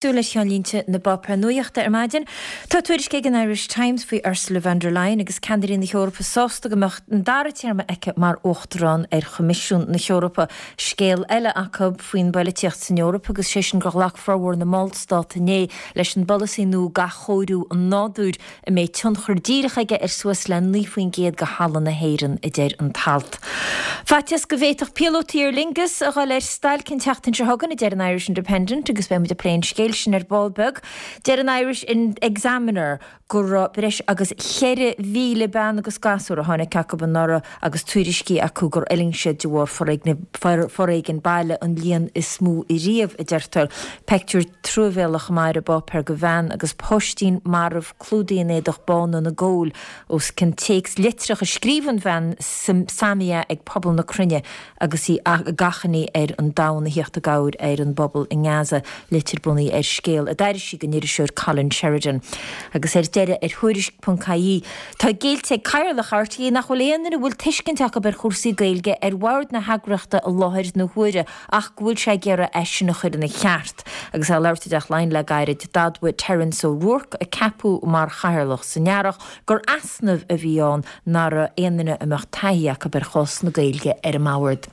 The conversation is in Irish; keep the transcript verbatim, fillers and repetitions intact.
Súil le ceannlínte na bpáipéar nuachta ar maidin. Tá tuairisc ag an Irish Times faoi Ursula von der Leyen agus ceannairí na hEorpa sásta go mbeadh an dara téarma aici mar uachtarán ar Choimisiún na hEorpa. Scéal eile acu faoin bpolaitíocht san Eoraip agus sé sin gur ghlac formhór na mBallstát inné leis an bpolasaí nua d'athchóiriú an nádúir a mbeidh tionchar díreach aige ar suas le naoi faoin gcéad de thalamh na hÉireann a deir an t-alt. Faitíos go bhféadfadh píolótaí Aer Lingus a dhul ar stailc an tseachtain seo chugainn a deir an Irish Independent agus beidh muid ag plé an scéil sin ar ball beag. Deir an Irish Examiner go raibh breis agus ceithre mhíle bean agus gasúr a tháinig acu anuraidh agus tuairiscí acu gur fhulaing siad de bharr foréigean baile an líon is mó riamh a deirtear. Pictiúr truamhéalach mar i bpáipéar de bhean agus páistín marbh clúdaithe in éadach bán ina gol os cionn téacs litreach a scríobh an bhean Samia ag pobal na cruinne agus í ag achainí ar an domhan a theacht i gcabhair ar an bpobal i nGaza litir bunaithe ar scéal a d'airigh sí den iriseoir Colin Sheridan. Agus ar deireadh ar Thuairisc.ie Tá géillte ag Cathaoirleach RTÉ nach bhfuil aon duine a bhfuil tuiscint acu ar chúrsaí Gaeilge ar bhord na heagraíochta i láthair na huaire ach go bhfuil sé ag iarraidh é sin a chur ina cheart. Agus é ag labhairt i dTeach Laighean le gairid d'admhaigh Terence O'Rourke a ceapadh mar chathaoirleach san earrach gur easnamh a bhí ann nach raibh aon duine a mbeadh taithí acu ar chás na Gaeilge ar an mbord.